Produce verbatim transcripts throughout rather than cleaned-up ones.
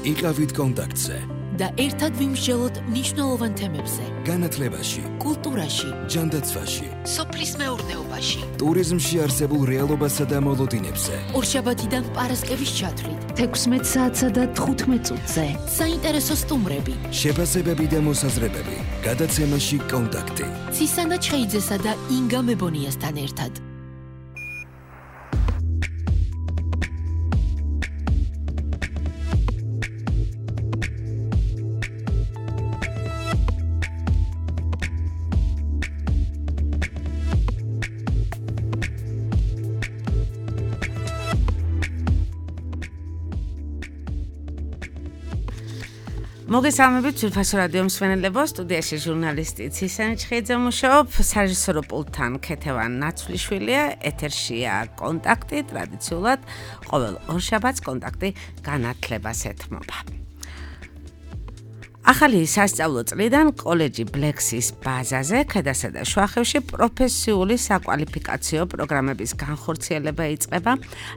იყავით კონტაქტზე და ერთად ვიმსჯელოთ მნიშვნელოვან თემებზე. განათლებაში, კულტურაში, ჯანდაცვაში, სოფლის მეურნეობაში, ტურიზმში არსებულ რეალობასა და მოლოდინებზე. ორშაბათიდან პარასკევის ჩათვლით, თექვსმეტ საათსა და თხუთმეტ წუთზე. საინტერესო სტუმრები, შეფასებები და მოსაზრებები. გადაცემაში კონტაქტი. ცისანა ჩხეიძესა და ინგა მებონიასთან ერთად. მოგესალმებით ძვირფასო რადიო მსმენელებო, სტუდიაში ჟურნალისტი ცისანა ჩხეიძე მუშაობ, სარეჟისორო პულტთან ქეთევან ნაცვლიშვილია, ეთერშია კონტაქტი, ტრადიციულად ყოველ ორშაბათს კონტაქტი განათლებას ეთმობა. ახალი სასწავლო წლიდან კოლეჯი ბლექსის ბაზაზე ქედასა და შუახევში პროფესიული საკვალიფიკაციო პროგრამების განხორციელება იწყება,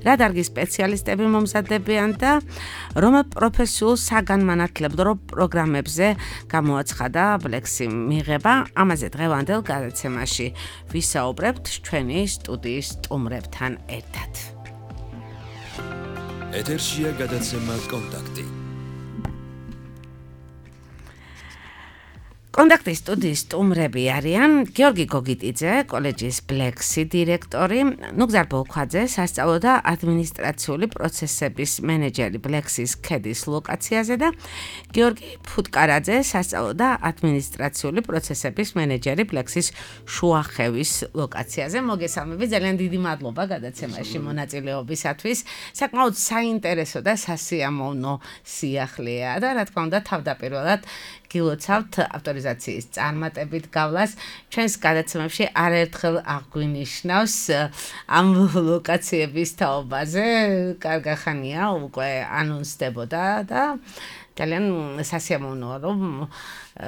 რა დარგის სპეციალისტები მომზადებიან და რომ პროფესიულ საგანმანათლებლო პროგრამებზე გამოაცხადა ბლექსი მიღება, ამაზე დღევანდელ გადაცემაში ვისაუბრებთ ჩვენი სტუდიის სტუმრებთან ერთად. ეთერშია გადაცემა კონტაქტი. კონტაქტის სტუდიის სტუმრები არიან გიორგი გოგიტიძე, კოლეჯის ბლექსი დირექტორი, ნუგზარ ბოლქვაძე, სასწავლო და ადმინისტრაციული პროცესების მენეჯერი ბლექსის ქედის ლოკაციაზე და გიორგი ფუტკარაძე, სასწავლო და ადმინისტრაციული პროცესების მენეჯერი ბლექსის შუახევის ლოკაციაზე. მოგესალმებით, ძალიან დიდი მადლობა გადაცემაში მონაწილეობისათვის. საკმაოდ საინტერესო და სასიამოვნო სიახლეა და რა თქმა უნდა თავდაპირველად გილოცავთ ავტორიზაციის წარმატებით გავლას. ჩვენს გადაცემებში არაერთხელ აღვნიშნავს ამ ლოკაციების თაობაზე. კარგი ხანია უკვე ანონსდებოდა და ძალიან სასიამოვნოა რომ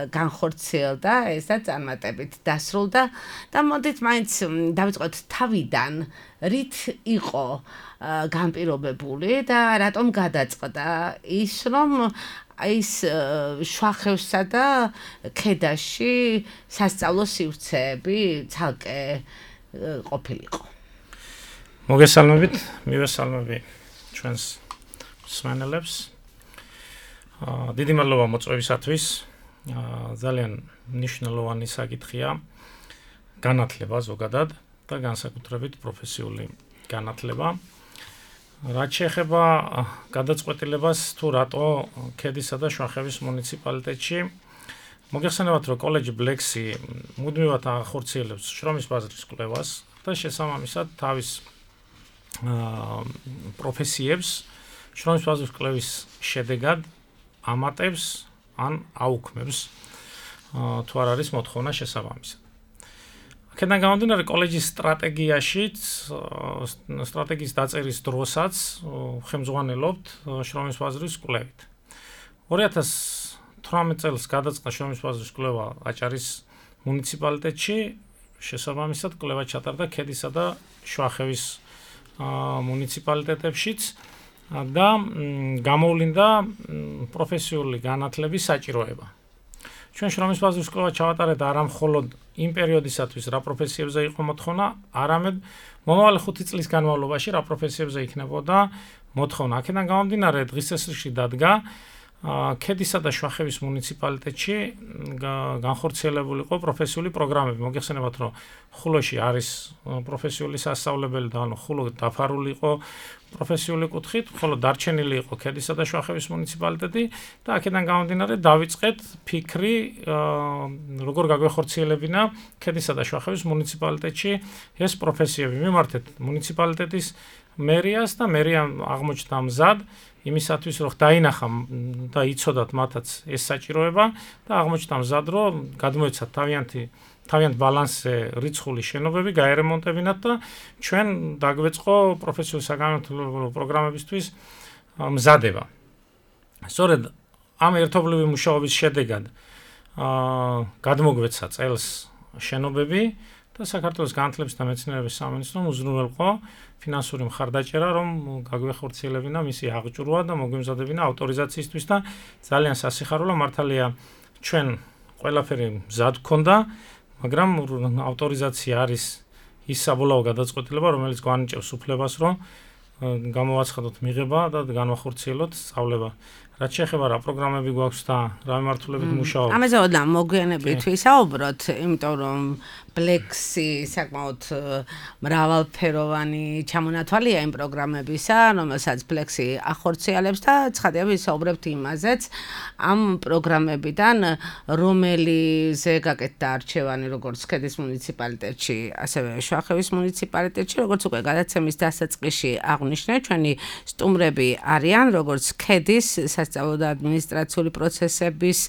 განხორციელდა ეს და წარმატებით დასრულდა და მოდით მაინც დავიწყოთ თავიდან, რით იყო განპირობებული და რატომ გადაწყდა ის რომ ის შუახევსა და ქედაში სასწავლო სივრცეები ცალკე ყოფილიყო. მოგესალმებით, მივესალმები ჩვენს მსმენელებს. დიდი მადლობა მოწვევისათვის. ძალიან მნიშვნელოვანი საკითხია განათლება ზოგადად და განსაკუთრებით პროფესიული განათლება. რაც შეეხება გადაწყვეტილებას თუ რატო ქედისა და შუახევის მუნიციპალიტეტში, მოგეხსენებათ, რომ კოლეჯი ბლექსი მუდმივად ახორციელებს შრომის ბაზრის კვლევას და შესაბამისად თავის პროფესიებს შრომის ბაზრის კვლევის შედეგად ამატებს ან აუქმებს თუ არ არის მოთხოვნა შესაბამისად. აქედან გამომდინარე კოლეჯის სტრატეგიაშიც, სტრატეგიის დაწერის დროსაც ხელმძღვანელობთ შრომის ბაზრის კვლევით. ორი ათას თვრამეტ წელს გადაწყდა შრომის ბაზრის კვლევა აჭარის მუნიციპალიტეტში, შესაბამისად კვლევა ჩატარდა ქედისა და შუახევის მუნიციპალიტეტებშიც და გამოვლინდა პროფესიული განათლების საჭიროება. ჩვენ შრომის ბაზრის კვლევა ჩავატარეთ არა მხოლოდ იმ პერიოდისათვის, რა პროფესიებზე იყო მოთხოვნა, არამედ მომავალი ხუთი წლის განმავლობაში რა პროფესიებზე იქნებოდა მოთხოვნა. აქედან გამომდინარე დღის წესრიგში დადგა ქედისა და შუახევის მუნიციპალიტეტში განხორციელებული იყო პროფესიული პროგრამები. მოგეხსენებათ, რომ ხულოში არის პროფესიული სასწავლებელი და ანუ ხულო დაფარული იყო პროფესიული კუთხით, ხოლო დარჩენილი იყო ქედისა და შუახევის მუნიციპალიტეტი და აქედან გამომდინარე დავიწყეთ ფიქრი, როგორ გაგვეხორციელებინა ქედისა და შუახევის მუნიციპალიტეტში ეს პროფესიები. მიმართეთ მუნიციპალიტეტის მერიას და მერია აღმოჩნდა მზად იმისათვის, რომ დაინახა და იცოდათ მათაც ეს საჭიროება და აღმოჩნდა მზად, რომ გადმოეცათ თავიანთი თავიანთ ბალანსზე რიცხული შენობები გაერემონტებინათ და ჩვენ დაგვეწყო პროფესიული საგანმანათლებლო პროგრამებისთვის მზადება. სწორედ ამ ერთობლივი მუშაობის შედეგად გადმოგვეცა წელს შენობები და საქართველოს განათლების და მეცნიერების სამინისტრომ უზრუნველყო ფინანსური მხარდაჭერა, რომ გაგვეხორციელებინა მისი აღჭურვა და მოგვიმზადებინა ავტორიზაციისთვის და ძალიან სასიხარულო მართალია ჩვენ ყველაფერი მზად გქონდა, მაგრამ ავტორიზაცია არის ის საბოლოო გადაწყვეტილება, რომელიც გვანიჭებს უფლებას, რომ გამოვაცხადოთ მიღება და განვახორციელოთ სწავლება. რაც შეეხება რა პროგრამები გვაქვს და რა მიმართულებით მუშაობთ. ამაზე ოდნა მოგვიანებით ვისაუბროთ, იმიტომ რომ Plexi საკმაოდ მრავალფეროვანი ჩამონათვალია იმ პროგრამებისა, რომელსაც Plexi ახორციელებს და ცხადია ვისაუბრებთ იმაზეც ამ პროგრამებიდან, რომელიზე გაკეთდა არჩევანი როგორც ქედის მუნიციპალიტეტში, ასევე შუახევის მუნიციპალიტეტში, როგორც უკვე გადაცემის დასაწყისში აღვნიშნე, ჩვენი სტუმრები არიან როგორც ქედის სასწავლო და ადმინისტრაციული პროცესების,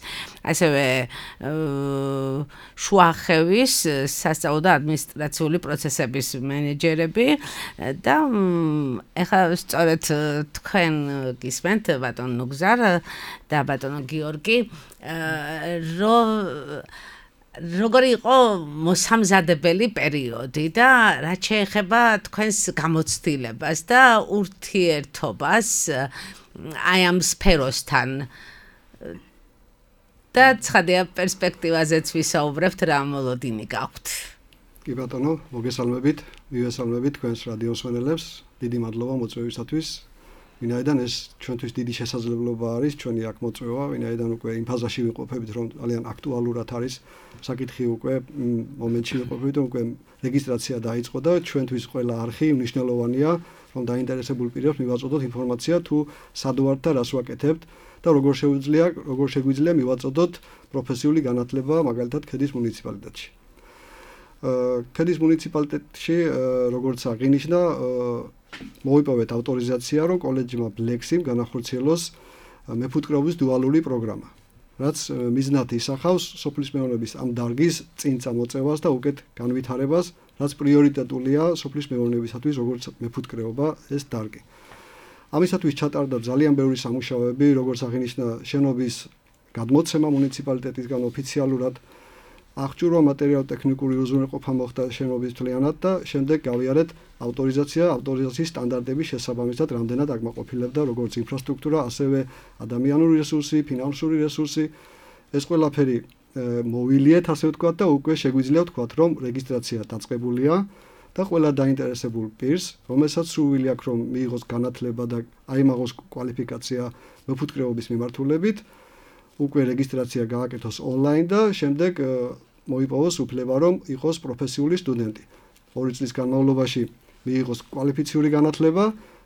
ასევე შუახევის სასწავლო და ადმინისტრაციული პროცესების მენეჯერები და ეხლა სწორედ თქვენ გისმენთ ბატონ ნუგზარ და ბატონ გიორგი რო როგორი იყო მოსამზადებელი პერიოდი და რაც შეეხება თქვენს გამოცდილებას და ურთიერთობას აი ამ სფეროსთან და ცხადია პერსპექტივაზეც ვისაუბრებთ რა მოლოდინი გაქვთ. კი ბატონო, მოგესალმებით, მივესალმებით თქვენს რადიოსმენელებს, დიდი მადლობა მოწვევისათვის. ვინაიდან ეს ჩვენთვის დიდი შესაძლებლობა არის, ჩვენი აქ მოწვევა, ვინაიდან უკვე იმ ფაზაში ვიყოფებით, რომ ძალიან აქტუალურად არის საკითხი უკვე მომენტში ვიყოფებით, რომ უკვე რეგისტრაცია დაიწყო და ჩვენთვის ყველა არხი მნიშვნელოვანია, რომ დაინტერესებულ პირებს მივაწოდოთ ინფორმაცია თუ სად ვართ და რას ვაკეთებთ. და როგორ შეგვიძლია, როგორ შეგვიძლია მივაწოდოთ პროფესიული განათლება, მაგალითად, ქედის მუნიციპალიტეტში. ქედის მუნიციპალიტეტში, როგორც აღინიშნა, მოვიპოვეთ ავტორიზაცია, რომ კოლეჯმა Plexi განახორციელოს მეფუტკრეობის დუალური პროგრამა, რაც მიზნად ისახავს სოფლის მეურნეობის ამ დარგის წინ წამოწევას და უკეთ განვითარებას, რაც პრიორიტეტულია სოფლის მეურნეობისათვის, როგორც მეფუტკრეობა ეს დარგი. ამისათვის ჩატარდა ძალიან ბევრი სამუშაოები, როგორც აღინიშნა შენობის გადმოცემა მუნიციპალიტეტისგან ოფიციალურად, აღჭურვა მატერიალურ-ტექნიკური უზრუნველყოფა მოხდა შენობის მთლიანად და შემდეგ გავიარეთ ავტორიზაცია, ავტორიზაციის სტანდარტების შესაბამისად რამდენად აკმაყოფილებდა როგორც ინფრასტრუქტურა, ასევე ადამიანური რესურსი, ფინანსური რესურსი. ეს ყველაფერი მოვილიეთ, ასე ვთქვათ და უკვე შეგვიძლია ვთქვათ, რომ რეგისტრაცია დაწყებულია. და ყველა დაინტერესებულ პირს, რომელსაც სურვილი აქვს, რომ მიიღოს განათლება და აიმაღოს კვალიფიკაცია მეფუტკრეობის მიმართულებით, უკვე რეგისტრაცია გააკეთოს ონლაინ და შემდეგ მოიპოვოს უფლება, რომ იყოს პროფესიული სტუდენტი. ორი წლის განმავლობაში მიიღოს კვალიფიციური განათლება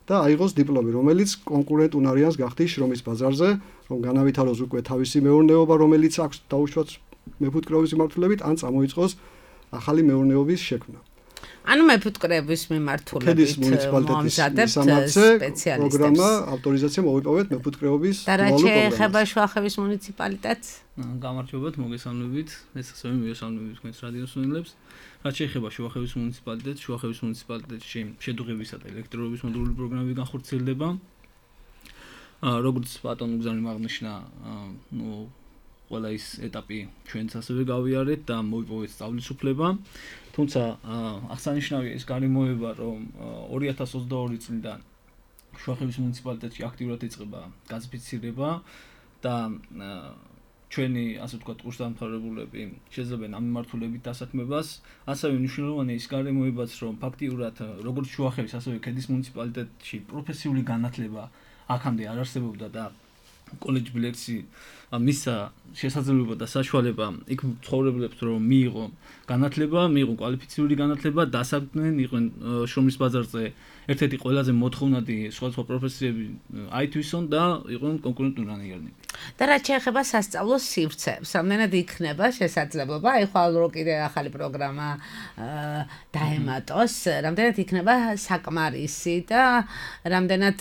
და აიღოს დიპლომი, რომელიც კონკურენტ უნარიანს გახდის შრომის ბაზარზე, რომ განავითაროს უკვე თავისი მეურნეობა, რომელიც აქვს დაუშვათ მეფუტკრეობის მიმართულებით, ან წამოიწყოს ახალი მეურნეობის შექმნა. ანუ მეფუტკრეობის მიმართულებით მომზადებთ სპეციალისტებს. პროგრამა ავტორიზაცია მოვიპოვეთ მეფუტკრეობის და რა შეეხება შუახევის მუნიციპალიტეტს? გამარჯობათ, მოგესალმებით. ეს ასევე მივესალმებით თქვენს რადიოსმენელებს. რაც შეეხება შუახევის მუნიციპალიტეტს, შუახევის მუნიციპალიტეტში შედუღებისა და ელექტროობის მოდულური პროგრამები განხორციელდება. როგორც ბატონ უგზავნიმ აღნიშნა, ნუ ყველა ის ეტაპი ჩვენც ასევე გავიარეთ და მოვიპოვეთ სწავლის უფლება. თუმცა აღსანიშნავია ის გარემოება, რომ ორი ათას ოცდაორი წლიდან შუახევის მუნიციპალიტეტში აქტიურად იწყება გაზიფიცირება და ჩვენი, ასე ვთქვათ, კურსდამთავრებულები შეძლებენ ამ მიმართულებით დასაქმებას. ასევე მნიშვნელოვანია ის გარემოებაც, რომ ფაქტიურად როგორც შუახევის, ასევე ქედის მუნიციპალიტეტში პროფესიული განათლება აქამდე არ არსებობდა და კოლეჯ Plexi მისცა შესაძლებლობა და საშუალება იქ მცხოვრებლებს რომ მიიღო განათლება, მიიღო კვალიფიციური განათლება, დასაქმდნენ, იყვნენ შრომის ბაზარზე ერთ-ერთი ყველაზე მოთხოვნადი სხვადასხვა პროფესიები აი თვისონ და იყვნენ კონკურენტუნარიანი. და რაც შეეხება სასწავლო სივრცეებს, რამდენად იქნება შესაძლებლობა, აი ხვალ რო კიდე ახალი პროგრამა დაემატოს, რამდენად იქნება საკმარისი და რამდენად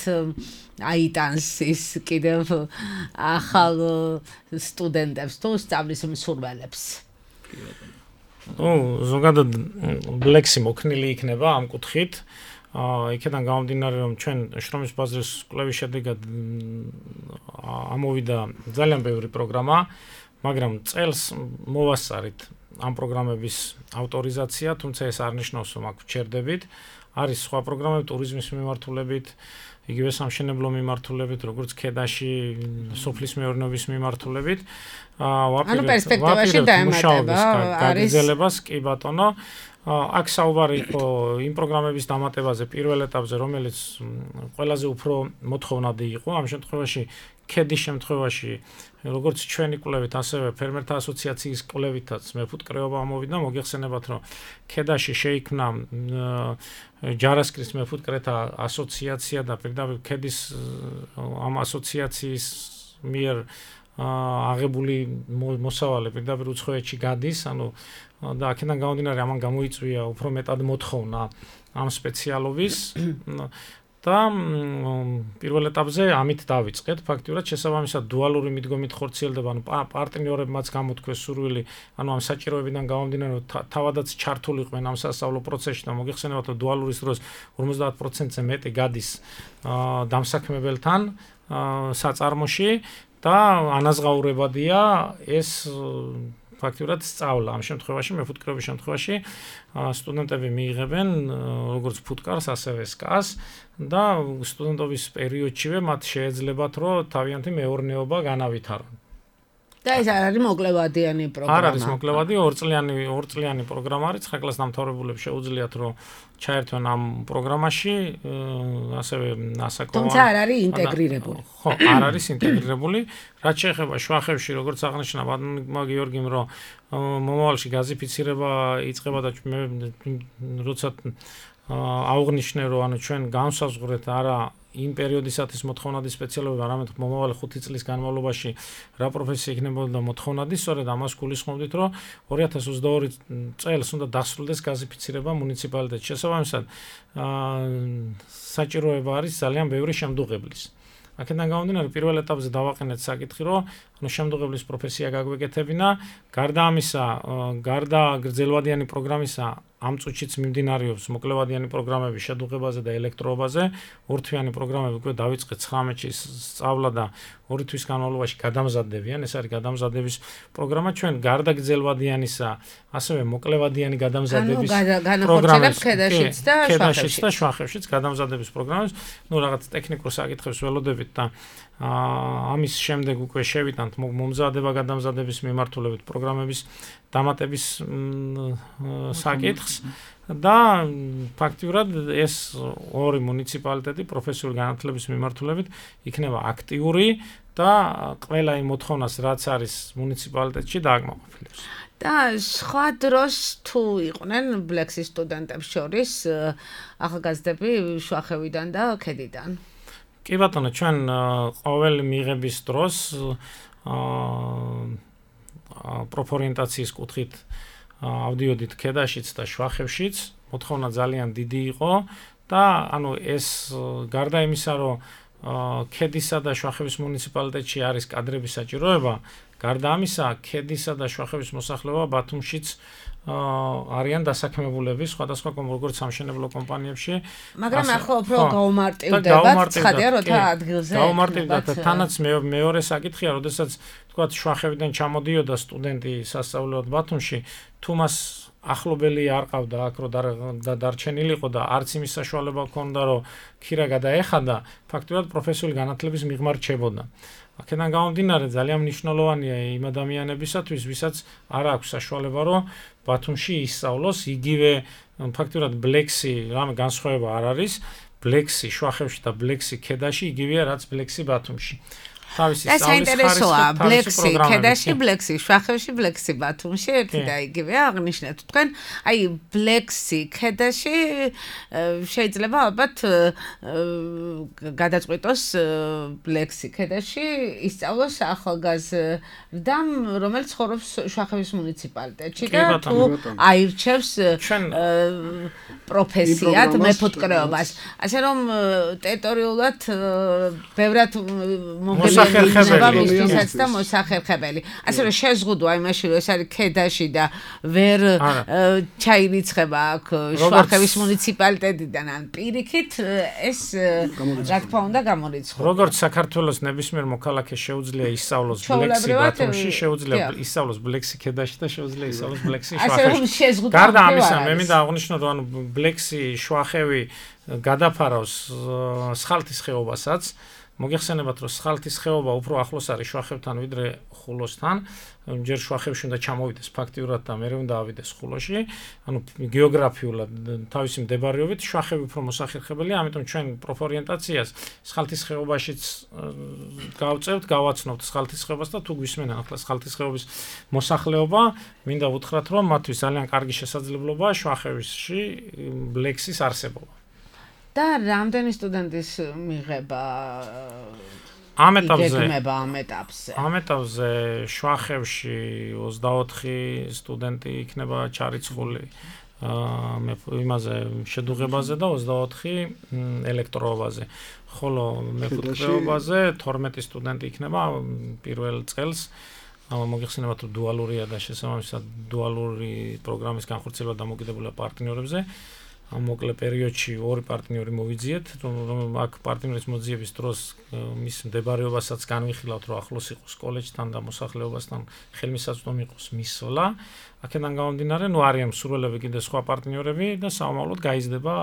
აიტანს ის კიდევ ახალ სტუდენტებს თუ სწავლის მსურველებს. ნუ ზოგადად Plexi მოქნილი იქნება ამ კუთხით. იქიდან გამომდინარე, რომ ჩვენ შრომის ბაზრის კვლევის შედეგად ამოვიდა ძალიან ბევრი პროგრამა, მაგრამ წელს მოვასწარით ამ პროგრამების ავტორიზაცია, თუმცა ეს არ ნიშნავს, რომ აქ ვჩერდებით. არის სხვა პროგრამები ტურიზმის მიმართულებით, იგივე სამშენებლო მიმართულებით, როგორც ქედაში, სოფლის მეურნეობის მიმართულებით. ანუ პერსპექტივაში დაემატება არის გაგრძელებას, კი ბატონო. აქ საუბარი იყო იმ პროგრამების დამატებაზე პირველ ეტაპზე, რომელიც ყველაზე უფრო მოთხოვნადი იყო. ამ შემთხვევაში ქედის შემთხვევაში როგორც ჩვენი კვლევით, ასევე ფერმერთა ასოციაციის კვლევითაც მეფუტკრეობა ამოვიდა, მოგეხსენებათ, რომ ქედაში შეიქმნა ჯარასკრის მეფუტკრეთა ასოციაცია და პირდაპირ ქედის ამ ასოციაციის მიერ აღებული მოსავალი პირდაპირ უცხოეთში გადის, ანუ და აქედან გამომდინარე ამან გამოიწვია უფრო მეტად მოთხოვნა ამ სპეციალობის და პირველ ეტაპზე ამით დავიწყეთ. ფაქტიურად შესაბამისად დუალური მიდგომით ხორციელდება, ანუ პარტნიორებმაც გამოთქვეს სურვილი, ანუ ამ საჭიროებიდან გამომდინარე, რომ თავადაც ჩართულიყვნენ ამ სასწავლო პროცესში და მოგეხსენებათ, რომ დუალურის დროს ორმოცდაათ პროცენტზე მეტი გადის დამსაქმებელთან საწარმოში და ანაზღაურებადია ეს ფაქტიურად სწავლა. ამ შემთხვევაში მეფუტკრეობის შემთხვევაში სტუდენტები მიიღებენ როგორც ფუტკარს, ასევე სკას და სტუდენტობის პერიოდშივე მათ შეეძლებათ, რომ თავიანთი მეურნეობა განავითარონ. და ეს არ არის მოკლევადიანი პროგრამა. არ არის მოკლევადი, ორწლიანი ორწლიანი პროგრამა არის. ხაკლას დამთავრებულებს შეუძლიათ, რომ ჩაერთვენ ამ პროგრამაში, ასევე ასაკოვანი. თუმცა არ არის ინტეგრირებული. ხო, არ არის ინტეგრირებული. რაც შეეხება შვახევში, როგორც აღნიშნა ბატონმა გიორგიმ, რომ მომავალში გაზიფიცირება იწყება და მე როცა აუღნიშნე, რომ ანუ ჩვენ განსაზღვრეთ არა იმ პერიოდისათვის მოთხოვნადი სპეციალობები, არამედ მომავალი ხუთი წლის განმავლობაში რა პროფესია იქნებოდა მოთხოვნადი, სწორედ ამას გულისხმობდით, რომ ორი ათას ოცდაორი წელს უნდა დასრულდეს გაზიფიცირება მუნიციპალიტეტში. შესაბამისად, საჭიროება არის ძალიან ბევრი შემდუღებლის. აქედან გამომდინარე, პირველ ეტაპზე დავაყენეთ საკითხი, რომ ანუ შემდუღებლის პროფესია გაგვეკეთებინა, გარდა ამისა, გარდა გრძელვადიანი პროგრამისა, ამ წუთშიც მიმდინარეობს მოკლევადიანი პროგრამები შედუღებაზე და ელექტროობაზე. ორთვიანი პროგრამები უკვე დავიწყეთ ცხრამეტში სწავლა და ორი თვის განმავლობაში გადამზადდებიან. ეს არის გადამზადების პროგრამა. ჩვენ გარდა გრძელვადიანისა, ასევე მოკლევადიანი გადამზადების პროგრამებს ქედაშიც და ქედაშიც და შვახევშიც გადამზადების პროგრამებს. ნუ რაღაც ტექნიკურ საკითხებს ველოდებით და ამის შემდეგ უკვე შევიტანთ მომზადება გადამზადების მიმართულებით პროგრამების დამატების საკითხს და ფაქტიურად ეს ორი მუნიციპალიტეტი პროფესიული განათლების მიმართულებით იქნება აქტიური და ყველა იმ მოთხოვნას რაც არის მუნიციპალიტეტში დააკმაყოფილებს. და სხვა დროს თუ იყვნენ ბლექსის სტუდენტებს შორის ახალგაზრდები შვახევიდან და ქედიდან. კი ბატონო, ჩვენ ყოველ მიღების დროს პროფორიენტაციის კუთხით ავდიოდით ქედაშიც და შვახევშიც, მოთხოვნა ძალიან დიდი იყო და ანუ ეს გარდა იმისა, რომ ქედისა და შვახევის მუნიციპალიტეტში არის კადრების საჭიროება, გარდა ამისა, ქედისა და შვახევის მოსახლეობა ბათუმშიც არიან დასაქმებულები სხვადასხვა როგორც სამშენებლო კომპანიებში. მაგრამ ახლა უფრო გაუმარტივდებათ, ცხადია, როცა ადგილზე გაუმარტივდებათ. თანაც მეორე საკითხია, როდესაც თქვა შვახევიდან ჩამოდიოდა სტუდენტი სასწავლებლად ბათუმში, თუ მას ახლობელი არ ყავდა აქ რო და დარჩენილიყო და არც იმის საშუალება ჰქონდა, რომ ქირა გადაეხადა, ფაქტობრივად პროფესიული განათლების მიღმა რჩებოდა. აქედან გამომდინარე, ძალიან მნიშვნელოვანია იმ ადამიანებისათვის, ვისაც არ აქვს საშუალება, რომ ბათუმში ისწავლოს, იგივე ფაქტობრივად ბლექსი, რამე განსხვავება არ არის, ბლექსი შვახევში და ბლექსი ქედაში იგივეა, რაც ბლექსი ბათუმში. თავისი სწავლის საინტერესოა, ბლექსი ქედაში, ბლექსი შვახევში, ბლექსი ბათუმში, ერთი და იგივეა აღნიშნეთ თქვენ. აი, ბლექსი ქედაში შეიძლება ალბათ გადაწყვიტოს ბლექსი ქედაში ისწავლოს ახალგაზრდამ, რომელიც ცხოვრობს შვახევის მუნიციპალიტეტში და თუ აირჩევს პროფესიად მეფუტკრეობას. ასე რომ ტერიტორიულად ბევრად მომგებიანი მოსახერხებელი და მოსახერხებელი. ასე რომ შეზღუდვა იმაში რომ ეს არის ქედაში და ვერ ჩაირიცხება აქ შუახევის მუნიციპალიტეტიდან ან პირიქით ეს რა თქმა უნდა გამორიცხება. როგორც საქართველოს ნებისმიერ მოქალაქეს შეუძლია ისწავლოს ბლექსი ბათუმში, შეუძლია ისწავლოს ბლექსი ქედაში და შეუძლია ისწავლოს ბლექსი შუახევში. გარდა ამისა, მე მინდა აღვნიშნო, რომ ანუ ბლექსი შუახევი გადაფარავს სხალთის ხეობასაც. მოგეხსენებათ, რომ სხალთის ხეობა უფრო ახლოს არის შუახევთან ვიდრე ხულოსთან. ჯერ შუახევში უნდა ჩამოვიდეს ფაქტიურად და მერე უნდა ავიდეს ხულოში. ანუ გეოგრაფიულად თავისი მდებარეობით შუახევი უფრო მოსახერხებელია, ამიტომ ჩვენ პროფორიენტაციას სხალთის ხეობაშიც გავწევთ, გავაცნობთ სხალთის ხეობას და თუ გვისმენა ახლა სხალთის ხეობის მოსახლეობა, მინდა ვუთხრათ, რომ მათთვის ძალიან კარგი შესაძლებლობაა შუახევში ბლექსის არსებობა. და რამდენი სტუდენტის მიღება ამ ეტაპზე გეგმება ამ ეტაპზე ამ ეტაპზე შუახევში ოცდაოთხი სტუდენტი იქნება ჩარიცხული მე იმაზე შედუღებაზე და ოცდაოთხი ელექტროობაზე ხოლო მეხუთეობაზე თორმეტი სტუდენტი იქნება პირველ წელს მოგეხსენებათ რომ დუალურია და შესაბამისად დუალური პროგრამის განხორციელება დამოკიდებულია პარტნიორებზე მოკლე პერიოდში ორი პარტნიორი მოვიძიეთ, რომ აქ პარტნიორის მოძიების დროს მის მდებარეობასაც განვიხილავთ, რომ ახლოს იყოს კოლეჯთან და მოსახლეობასთან ხელმისაწვდომი იყოს მისვლა. აქედან გამომდინარე, ნუ არიან მსურველები კიდე სხვა პარტნიორები და საომავლოდ გაიზრდება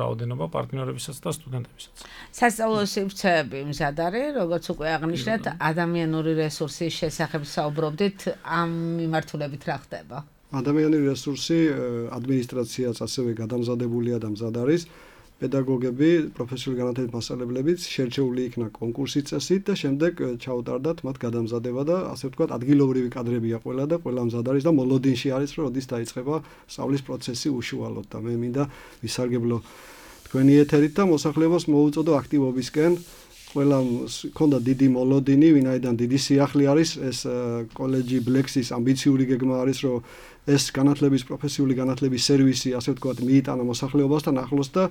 რაოდენობა პარტნიორებისაც და სტუდენტებისაც. სასწავლო სივრცეები მზად არის, როგორც უკვე აღნიშნეთ, ადამიანური რესურსის შესახებ საუბრობდით, ამ მიმართულებით რა ხდება? ადამიანური რესურსი ადმინისტრაციაც ასევე გადამზადებულია და მზად არის. პედაგოგები, პროფესიული განათლების მასწავლებლებიც შერჩეული იქნა კონკურსის წესით და შემდეგ ჩაუტარდათ მათ გადამზადება და ასე ვთქვათ ადგილობრივი კადრებია ყველა და ყველა მზად არის და მოლოდინში არის, რომ როდის დაიწყება სწავლის პროცესი უშუალოდ და მე მინდა ვისარგებლო თქვენი ეთერით და მოსახლეობას მოუწოდო აქტივობისკენ. ყველა ქონდა დიდი მოლოდინი, ვინაიდან დიდი სიახლე არის ეს კოლეჯი ბლექსის ამბიციური გეგმა არის, რომ ეს განათლების პროფესიული განათლების სერვისი, ასე ვთქვათ, მიიტანა მოსახლეობასთან ახლოს და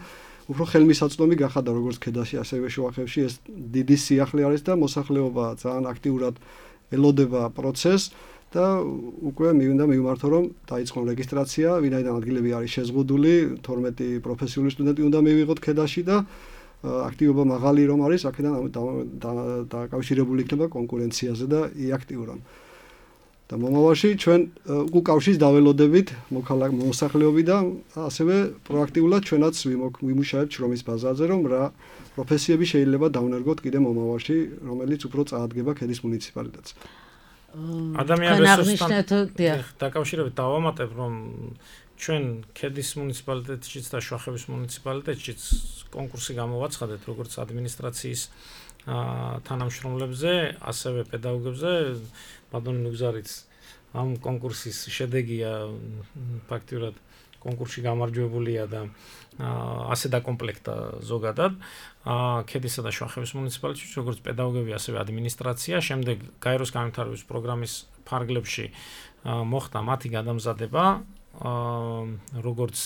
უფრო ხელმისაწვდომი გახადა როგორც ქედაში, ასევე შუახევში ეს დიდი სიახლე არის და მოსახლეობა ძალიან აქტიურად ელოდება პროცესს და უკვე მინდა მივმართო, რომ დაიწყო რეგისტრაცია, ვინაიდან ადგილები არის შეზღუდული, თორმეტი პროფესიული სტუდენტი უნდა მივიღოთ ქედაში და აქტივობა მაღალი რომ არის, აქედან დაკავშირებული იქნება კონკურენციაზე და იაქტიურონ. და მომავალში ჩვენ უკავშირს დაველოდებით მოსახლეობი და ასევე პროაქტიულად ჩვენაც ვიმუშავებთ შრომის ბაზაზე, რომ რა პროფესიები შეიძლება დავნერგოთ კიდე მომავალში, რომელიც უფრო წაადგება ქედის მუნიციპალიტეტს. ადამიანის რესურსთან დაკავშირებით დავამატებ, რომ ჩვენ ქედის მუნიციპალიტეტშიც და შუახევის მუნიციპალიტეტშიც კონკურსი გამოვაცხადეთ როგორც ადმინისტრაციის თანამშრომლებზე, ასევე პედაგოგებზე. ბატონი ნუგზარიც ამ კონკურსის შედეგია ფაქტიურად კონკურსში გამარჯვებულია და ასე დაკომპლექტა ზოგადად ქედისა და შუახევის მუნიციპალიტეტში როგორც პედაგოგები, ასევე ადმინისტრაცია. შემდეგ გაეროს განვითარების პროგრამის ფარგლებში მოხდა მათი გადამზადება როგორც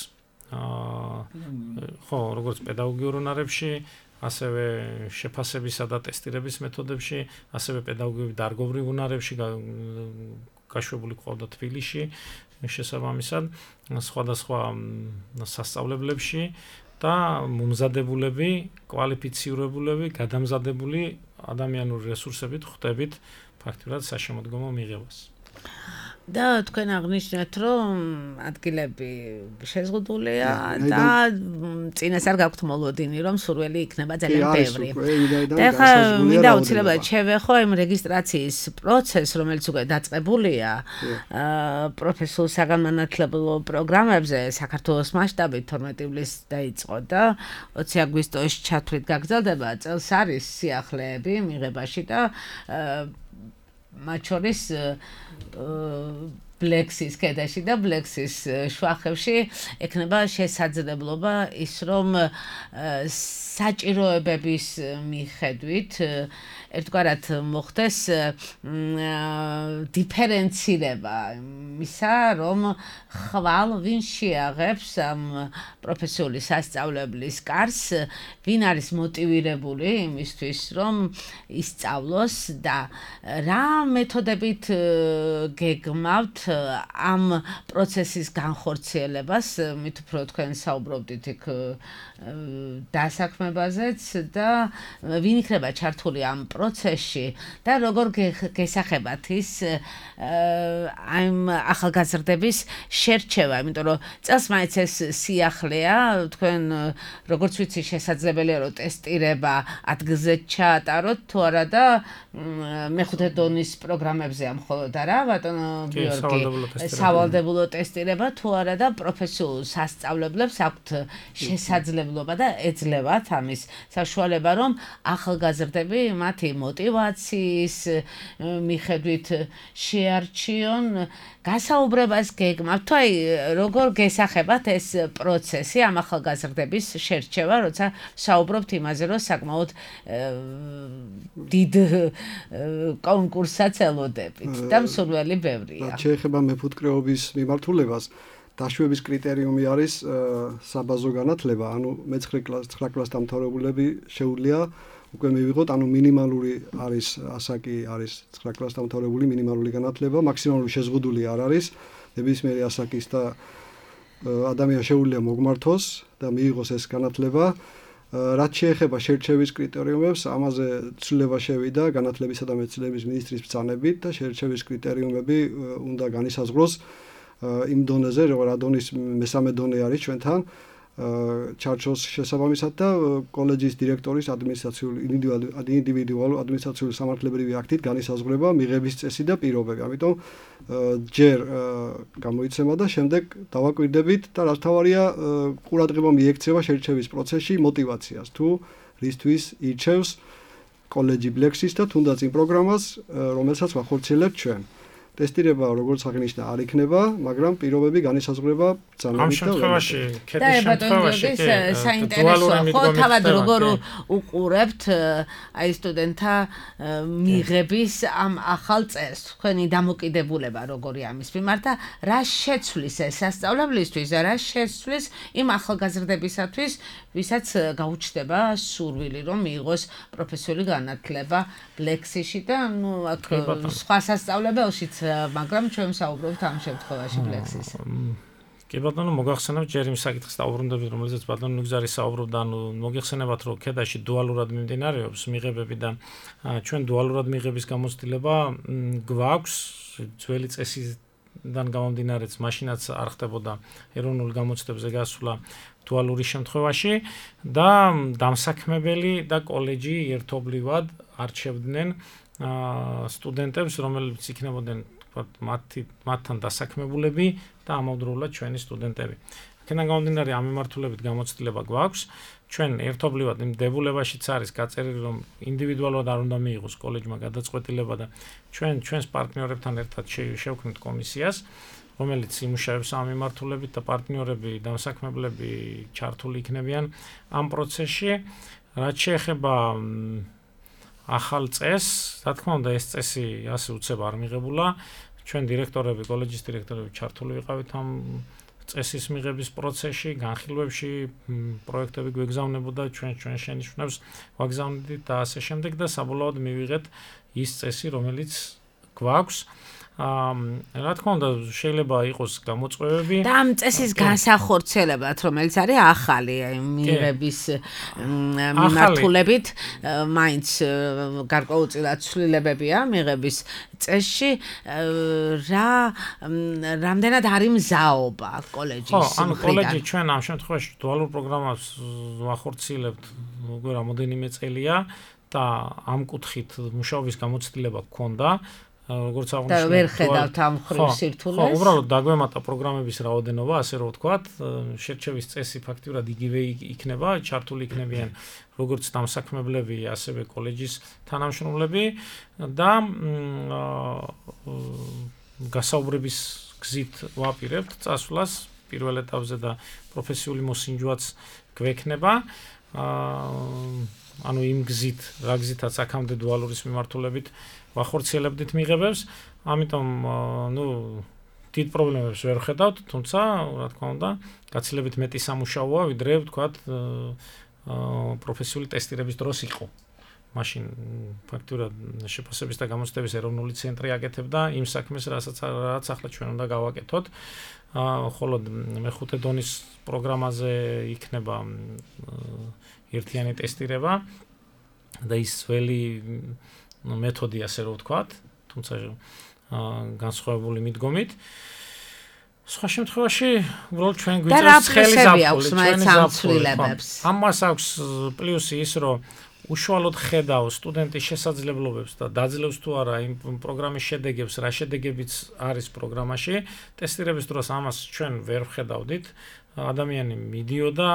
ხო, როგორც პედაგოგიურ უნარებში, ასევე შეფასებისა და ტესტირების მეთოდებში, ასევე პედაგოგები დარგობრივ უნარებში გაშვებული ყავდა თბილისში, შესაბამისად სხვადასხვა სასწავლებლებში და მომზადებულები, კვალიფიცირებულები, გადამზადებული ადამიანური რესურსებით ხვდებით ფაქტურად საშემოდგომო მიღებას. და თქვენ აღნიშნეთ, რომ ადგილები შეზღუდულია და წინასწარ გაქვთ მოლოდინი, რომ სურველი იქნება ძალიან ბევრი. და ხა მინდა უცილებლად შევეხო იმ რეგისტრაციის პროცესს, რომელიც უკვე დაწყებულია პროფესიულ საგანმანათლებლო პროგრამებზე საქართველოს მასშტაბით თორმეტი ივლისს დაიწყო და ოცი აგვისტოს ჩათვლით გაგრძელდება. წელს არის სიახლეები მიღებაში და მათ შორის ბლექსის კედაში და ბლექსის შვახებში ექნება შესაძლებლობა ის რომ საჭიროებების მიხედვით ერთგვარად მოხდეს დიფერენცირება იმისა რომ ხვალ ვინ შეაღებს ამ პროფესიული სასწავლებლის კარს ვინ არის მოტივირებული იმისთვის რომ ისწავლოს და რა მეთოდებით გეგმავთ ამ პროცესის განხორციელებას მით უფრო თქვენ საუბრობდით იქ დასაქმებაზეც და ვინ იქნება ჩართული ამ პროცესში და როგორ გესახებათ ის ამ ახალგაზრდების შერჩევა, იმიტომ რომ წელს მაინც ეს სიახლეა, თქვენ როგორც ვიცი შესაძლებელია რომ ტესტირება ადგილზე ჩაატაროთ თუ არა და მეხუთე დონის პროგრამებზეა მხოლოდ არა, ბატონო გიორგი, სავალდებულო ტესტირება თუ არა და პროფესიულ სასწავლებლებს აქვთ შესაძლებლობა და ეძლევათ ამის საშუალება რომ ახალგაზრდები მათი მოტივაციის მიხედვით შეარჩიონ გასაუბრებას გეგმავთ თუ აი როგორ გესახებათ ეს პროცესი ამ ახალგაზრდების შერჩევა როცა საუბრობთ იმაზე რომ საკმაოდ დიდ კონკურსსაც ელოდებით და მსურველი ბევრია რაც შეეხება მეფუტკრეობის მიმართულებას დაშვების კრიტერიუმი არის საბაზო განათლება ანუ მეცხრე კლასის ცხრა კლასის დამთავრებულები შეუძლია უკვე მივიღოთ ანუ მინიმალური არის ასაკი არის ცხრა კლასის დამთავრებული მინიმალური განათლება მაქსიმალური შეზღუდული არ არის ნებისმიერი ასაკის და ადამიანს შეუძლია მოგმართოს და მიიღოს ეს განათლება რაც შეეხება შერჩევის კრიტერიუმებს ამაზე ცვლილება შევიდა განათლებისა და მეცნიერების მინისტრის ბრძანებით და შერჩევის კრიტერიუმები უნდა განისაზღვროს იმ დონეზე რა დონის მესამე დონე არის ჩვენთან ჩარჩოს შესაბამისად და კოლეჯის დირექტორის ადმინისტრაციული ინდივიდუალური ადმინისტრაციული სამართლებრივი აქტით განისაზღვრება მიღების წესი და პირობები. ამიტომ ჯერ გამოიცემა და შემდეგ დავაკვირდებით და რაც თავარია ყურადღება მიექცევა შერჩევის პროცესში მოტივაციას თუ რისთვის ირჩევს კოლეჯი ბლექსის და თუნდაც იმ პროგრამას რომელსაც ვახორციელებთ ჩვენ. ტესტირება როგორც აღნიშნა არ იქნება, მაგრამ პირობები განისაზღვრება ბრძანებით და ამ შემთხვევაში, ქეთის შემთხვევაში საინტერესოა, ხო თავად როგორ უყურებთ აი სტუდენტთა მიღების ამ ახალ წესს, თქვენი დამოკიდებულება როგორი ამის მიმართ და რა შეცვლის ეს სასწავლებლისთვის და რა შეცვლის იმ ახალგაზრდებისათვის, ვისაც გაუჩნდება სურვილი რომ მიიღოს პროფესიული განათლება ბლექსში და ნუ აქ სხვა სასწავლებელშიც მაგრამ ჩვენ საუბრობთ ამ შემთხვევაში ბლექსის. კი ბატონო, მოგახსენებთ ჯერ იმ საკითხს დაუბრუნდებით, რომელზეც ბატონო ნუგზარი საუბრობდა, ანუ მოგეხსენებათ, რომ ქედაში დუალურად მიმდინარეობს მიღებები და ჩვენ დუალურად მიღების გამოცდილება გვაქვს ძველი წესიდან გამომდინარეც, მაშინაც არ ხდებოდა ეროვნულ გამოცდებზე გასვლა დუალური შემთხვევაში და დამსაქმებელი და კოლეჯი ერთობლივად არჩევდნენ სტუდენტებს, რომლებიც იქნებოდნენ მათი მათთან დასაქმებულები და ამავდროულად ჩვენი სტუდენტები. აქედან გამომდინარე ამ მიმართულებით გამოცდილება გვაქვს. ჩვენ ერთობლივად იმ დებულებაშიც არის გაწერილი, რომ ინდივიდუალურად არ უნდა მიიღოს კოლეჯმა გადაწყვეტილება და ჩვენ ჩვენს პარტნიორებთან ერთად შევქმნით კომისიას, რომელიც იმუშავებს ამ მიმართულებით და პარტნიორები, დამსაქმებლები ჩართული იქნებიან ამ პროცესში. რაც შეეხება ახალ წესს, რა თქმა უნდა, ეს წესი ასე უცებ არ მიღებულა. ჩვენ დირექტორები, კოლეჯის დირექტორები ჩართული ვიყავით ამ წესის მიღების პროცესში, განხილვებში, პროექტები გვეგზავნებოდა, ჩვენ ჩვენ შენიშვნებს ვაგზავნებდით და ასე შემდეგ და საბოლოოდ მივიღეთ ის წესი, რომელიც გვაქვს. რა თქმა უნდა, შეიძლება იყოს გამოწვევები. და ამ წესის განსახორციელებად, რომელიც არის ახალი, მიღების მიმართულებით, მაინც გარკვეულწილად ცვლილებებია მიღების წესში, რა რამდენად არის მზაობა კოლეჯის მხრიდან? ხო, ანუ კოლეჯი ჩვენ ამ შემთხვევაში დუალურ პროგრამას ვახორციელებთ უკვე რამოდენიმე წელია და ამ კუთხით მუშაობის გამოცდილება გქონდა. როგორც აღნიშნეთ, და ვერ ხედავთ ამ ხრივ სირთულეს. ხო, უბრალოდ დაგვემატა პროგრამების რაოდენობა, ასე რომ ვთქვათ, შერჩევის წესი ფაქტიურად იგივე იქნება, ჩართული იქნებიან როგორც დამსაქმებლები, ასევე კოლეჯის თანამშრომლები და გასაუბრების გზით ვაპირებთ წასვლას პირველ ეტაპზე და პროფესიული მოსინჯვაც გვექნება. ანუ იმ გზით, რა გზითაც აქამდე დუალურის მიმართულებით ვახორციელებდით მიღებებს, ამიტომ ნუ დიდ პრობლემებს ვერ ხედავთ, თუმცა რა თქმა უნდა, გაცილებით მეტი სამუშაოა, ვიდრე ვთქვათ, პროფესიული ტესტირების დროს იყო. მაშინ ფაქტურად შეფასების და გამოცდების ეროვნული ცენტრი აკეთებდა იმ საქმეს, რასაც რაც ახლა ჩვენ უნდა გავაკეთოთ. ხოლო მეხუთე დონის პროგრამაზე იქნება ერთიანი ტესტირება და ის ძველი მეთოდი, ასე რომ ვთქვათ, თუმცა განსხვავებული მიდგომით. სხვა შემთხვევაში, უბრალოდ ჩვენ გვიწევს ხელი ზაფხული. ამას აქვს პლუსი ის, რომ უშუალოდ ხედავს სტუდენტის შესაძლებლობებს და დაძლევს თუ არა იმ პროგრამის შედეგებს, რა შედეგებიც არის პროგრამაში. ტესტირების დროს ამას ჩვენ ვერ ვხედავდით. ადამიანი მიდიოდა,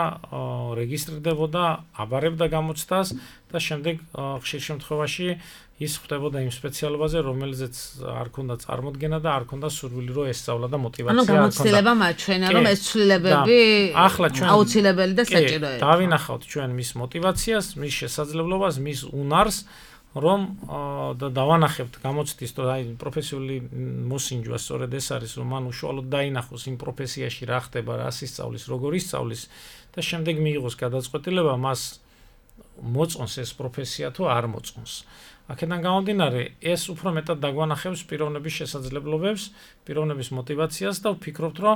რეგისტრდებოდა, აბარებდა გამოცდას და შემდეგ ხშირ შემთხვევაში ის ხვდებოდა იმ სპეციალობაზე, რომელზეც არ ქონდა წარმოდგენა და არ ქონდა სურვილი რომ ესწავლა და მოტივაცია არ ქონდა. ანუ გამოცდილება მაჩვენა, რომ ეს ცვლილებები აუცილებელი და საჭიროა. დავინახავთ ჩვენ მის მოტივაციას, მის შესაძლებლობას, მის უნარს, რომ და დავანახებთ გამოცდის, რომ აი პროფესიული მოსინჯვა სწორედ ეს არის, რომ მან უშუალოდ დაინახოს იმ პროფესიაში რა ხდება, რა ისწავლის, როგორ ისწავლის და შემდეგ მიიღოს გადაწყვეტილება, მას მოწონს ეს პროფესია თუ არ მოწონს. აქედან გამომდინარე, ეს უფრო მეტად დაგვანახებს პიროვნების შესაძლებლობებს, პიროვნების მოტივაციას და ვფიქრობთ, რომ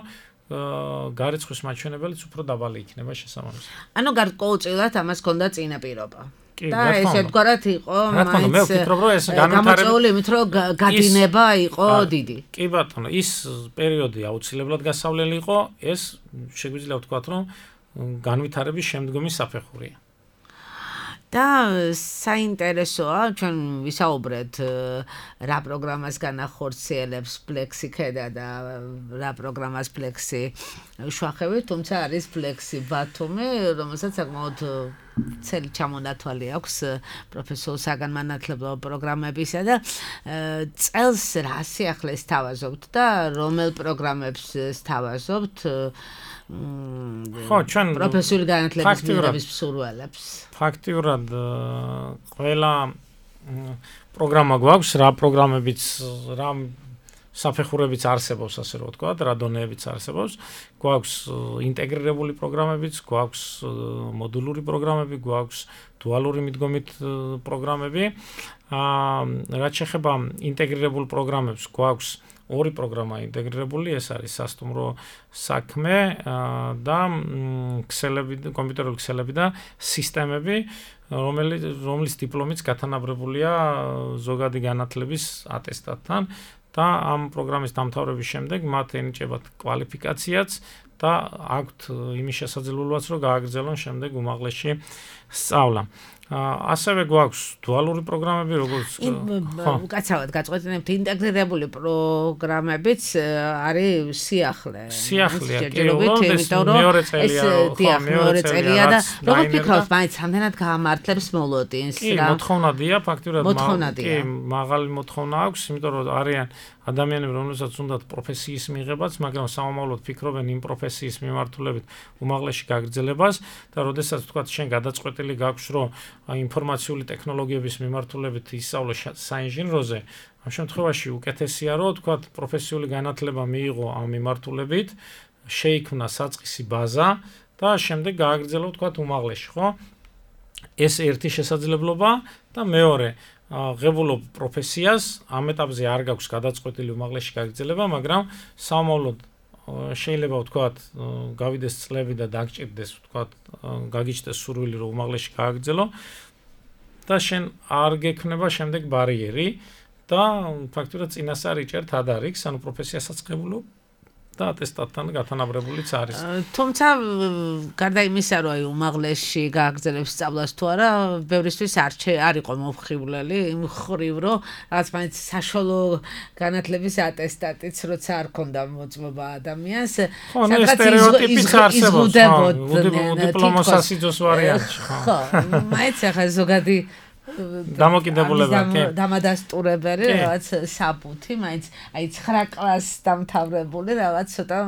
გარიცხვის მაჩვენებელიც უფრო დაბალი იქნება შესაბამისად. ანუ გარკვეულწილად ამას ჰქონდა წინაპირობა. და ესე ვთქვათ, იყო მაინც გამოწვეული იმით, რომ გადინება იყო დიდი. კი ბატონო, ის პერიოდი აუცილებლად გასავლელი იყო, ეს შეგვიძლია ვთქვათ, რომ განვითარების შემდგომი საფეხურია. და საინტერესოა, ჩვენ ვისაუბრეთ რა პროგრამას განახორციელებს Plexi ქედა და რა პროგრამას Plexi შუახევი, თუმცა არის Plexi ბათუმი, რომელსაც საკმაოდ ცელი ჩამონათვალი აქვს პროფესიულ საგანმანათლებლო პროგრამებისა და წელს რა სიახლეს თავაზობთ და რომელ პროგრამებს თავაზობთ ხო, ჩვენ პროფესიული განათლების მიღების მსურველებს. ფაქტიურად ყველა პროგრამა გვაქვს, რა პროგრამებიც, რა საფეხურებიც არსებობს, ასე რომ ვთქვათ, რა დონეებიც არსებობს. გვაქვს ინტეგრირებული პროგრამებიც, გვაქვს მოდულური პროგრამები, გვაქვს დუალური მიდგომით პროგრამები. რაც შეეხება ინტეგრირებულ პროგრამებს, გვაქვს ორი პროგრამა ინტეგრირებული, ეს არის სასტუმრო საქმე და ქსელები, კომპიუტერული ქსელები და სისტემები, რომელიც რომლის დიპლომიც გათანაბრებულია ზოგადი განათლების ატესტატთან და ამ პროგრამის დამთავრების შემდეგ მათ ენიჭებათ კვალიფიკაციაც და აქვთ იმის შესაძლებლობაც, რომ გააგრძელონ შემდეგ უმაღლესში სწავლა. ასევე გვაქვს დუალური პროგრამები, როგორც უკაცრავად გაწყვეტინებთ, ინტეგრირებული პროგრამებიც არის სიახლე. სიახლეა, იმიტომ რომ მეორე წელია, ხო, მეორე წელია და როგორ ფიქრობთ, მაინც რამდენად გაამართლებს მოლოდინს რა? მოთხოვნადია, ფაქტურად კი, მაღალი მოთხოვნა აქვს, იმიტომ რომ არიან ადამიანები, რომელსაც უნდათ პროფესიის მიღებაც, მაგრამ სამომავლოდ ფიქრობენ იმ პროფესიის მიმართულებით უმაღლესში გაგრძელებას და როდესაც თქვათ შენ გადაწყვეტილი გაქვს, რომ ინფორმაციული ტექნოლოგიების მიმართულებით ისწავლო საინჟინროზე, ამ შემთხვევაში უკეთესია, რომ თქვათ პროფესიული განათლება მიიღო ამ მიმართულებით, შეიქმნა საწყისი ბაზა და შემდეგ გააგრძელო თქვათ უმაღლესში, ხო? ეს ერთი შესაძლებლობა და მეორე ღებულობ პროფესიას, ამ ეტაპზე არ გაქვს გადაწყვეტილი უმაღლესში გაგრძელება, მაგრამ სამომავლოდ შეიძლება ვთქვათ, გავიდეს წლები და დაგჭირდეს, ვთქვათ, გაგიჩნდეს სურვილი, რომ უმაღლესში გააგრძელო და შენ არ გექნება შემდეგ ბარიერი და ფაქტურად წინასწარ იჭერთ ადარიქს, ანუ პროფესიასაც ღებულობ და ატესტატთან გათანაბრებულიც არის. თუმცა გარდა იმისა, რომ აი უმაღლესში გააგრძელებს სწავლას თუ არა, ბევრისთვის არ არ იყო მომხიბვლელი იმ ხრივ, რომ რაღაც მაინც საშუალო განათლების ატესტატიც როცა არ ქონდა მოწმობა ადამიანს, სადღაც სტერეოტიპიც არსებობს, დიპლომოსასიძოს ვარიანტში, ხო. მაინც ახლა ზოგადი დამოკიდებულება, კი. დამადასტურებელი რაღაც საბუთი, მაინც აი ცხრა კლასს დამთავრებული რაღაც ცოტა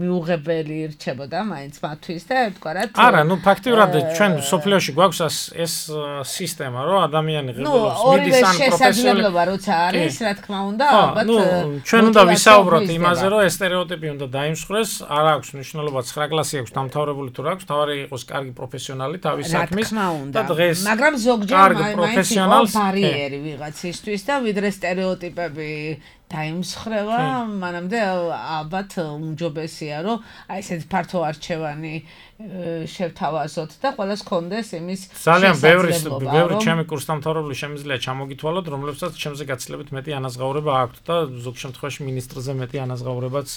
მიუღებელი რჩებოდა მაინც მათთვის და ერთგვარად არა, ну ფაქტიურად ჩვენ სოფლიოში გვაქვს ეს სისტემა, რომ ადამიანი ღებულობს მიდის ან პროფესიული შესაძლებლობა როცა არის, რა თქმა უნდა, ალბათ ну ჩვენ უნდა ვისაუბროთ იმაზე, რომ ეს სტერეოტიპი უნდა დაიმსხვრეს, არ აქვს მნიშვნელობა ცხრა კლასი აქვს დამთავრებული თუ რა აქვს, თავარი იყოს კარგი პროფესიონალი თავის საქმის და დღეს მაგრამ ზოგჯერ პროფესიონალს ბარიერი ვიღაცისთვის და ვიდრე სტერეოტიპები დაიმსხრება, მანამდე ალბათ უმჯობესია, რომ აი ესეთ ფართო არჩევანი შევთავაზოთ და ყველას კონდეს იმის ძალიან ბევრი ბევრი ჩემი კურსდამთავრებული შემიძლია ჩამოგითვალოთ, რომლებსაც ჩემზე გაცილებით მეტი ანაზღაურება აქვთ და ზოგ შემთხვევაში მინისტრზე მეტი ანაზღაურებაც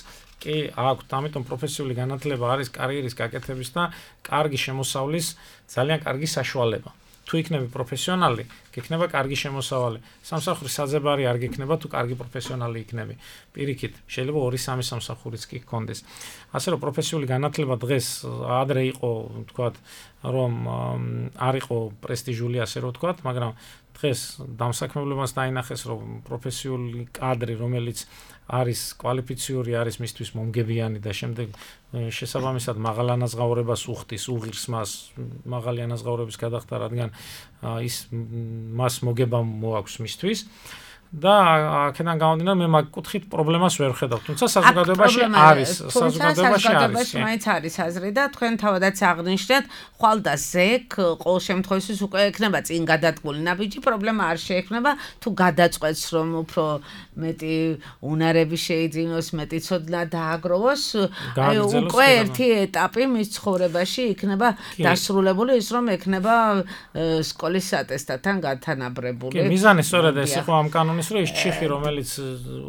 კი აქვთ, ამიტომ პროფესიული განათლება არის კარიერის გაკეთების და კარგი შემოსავლის ძალიან კარგი საშუალება. თუ იქნები პროფესიონალი, გექნება კარგი შემოსავალი. სამსახურის საძებარი არ გექნება, თუ კარგი პროფესიონალი იქნები. პირიქით, შეიძლება ორი სამი სამსახურიც კი გქონდეს. ასე რომ პროფესიული განათლება დღეს ადრე იყო, თქვათ, რომ არ იყო პრესტიჟული, ასე რომ თქვათ, მაგრამ დღეს დამსაქმებლობას დაინახეს, რომ პროფესიული კადრი, რომელიც არის კვალიფიციური, არის მისთვის მომგებიანი და შემდეგ შესაბამისად მაღალ ანაზღაურებას უხდის, უღირს მას მაღალი ანაზღაურების გადახდა, რადგან ის მას მოგება მოაქვს მისთვის. და აქედან გამომდინარე მე მაგ კუთხით პრობლემას ვერ ხედავ. თუმცა საზოგადოებაში არის, საზოგადოებაში არის. მაინც არის აზრი და თქვენ თავადაც აღნიშნეთ, ხვალ და ზეკ ყოველ შემთხვევაში უკვე ექნება წინ გადადგმული ნაბიჯი, პრობლემა არ შეექმნება, თუ გადაწყვეტს რომ უფრო მეტი უნარები შეიძინოს, მეტი ცოდნა დააგროვოს, აი უკვე ერთი ეტაპი მის ცხოვრებაში იქნება დასრულებული, ის რომ ექნება სკოლის ატესტატთან გათანაბრებული. კი, მიზანი სწორედ ეს იყო ამ კანონის ის რომ ის ჩიხი რომელიც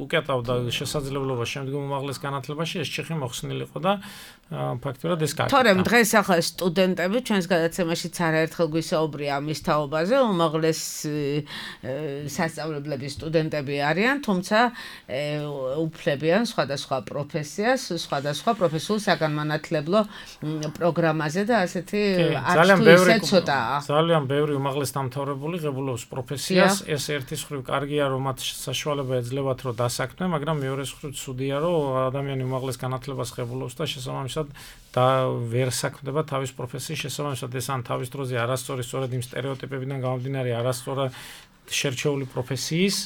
უკეტავდა შესაძლებლობას შემდგომ უმაღლეს განათლებაში ეს ჩიხი მოხსნილიყო და ფაქტობრივად ეს კაცი. თორემ დღეს ახლა სტუდენტები ჩვენს გადაცემაშიც არაერთხელ გვისაუბრია ამის თაობაზე, უმაღლეს სასწავლებლების სტუდენტები არიან, თუმცა უფლებიან სხვადასხვა პროფესიას, სხვადასხვა პროფესიულ საგანმანათლებლო პროგრამაზე და ასეთი არც თუ ისე ცოტაა. ძალიან ბევრი უმაღლეს დამთავრებული ღებულობს პროფესიას, ეს ერთის მხრივ კარგია რომ მათ საშუალება ეძლებათ რომ დასაქმდნენ, მაგრამ მეორეს მხრივ ცუდია რომ ადამიანი უმაღლეს განათლებას ღებულობს და შესაბამისად და ვერ საქმდება თავის პროფესიის შესაბამისად ეს ან თავის დროზე არასწორი სწორედ იმ სტერეოტიპებიდან გამომდინარე არასწორად შერჩეული პროფესიის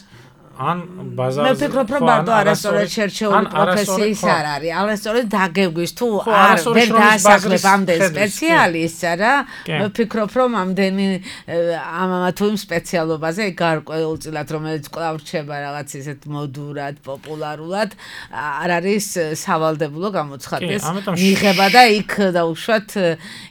ან ბაზარზე მე ვფიქრობ რომ მარტო არასწორად შერჩეული პროფესიის არ არის, არასწორად დაგეგვის თუ არ ვერ დაასაქმებ ამდენ სპეციალისტს რა, მე ვფიქრობ რომ ამდენი ამა თუ იმ სპეციალობაზე გარკვეულწილად რომელიც კვლავ რჩება რაღაც ისეთ მოდურად, პოპულარულად არ არის სავალდებულო გამოცხადდეს მიღება და იქ დაუშვათ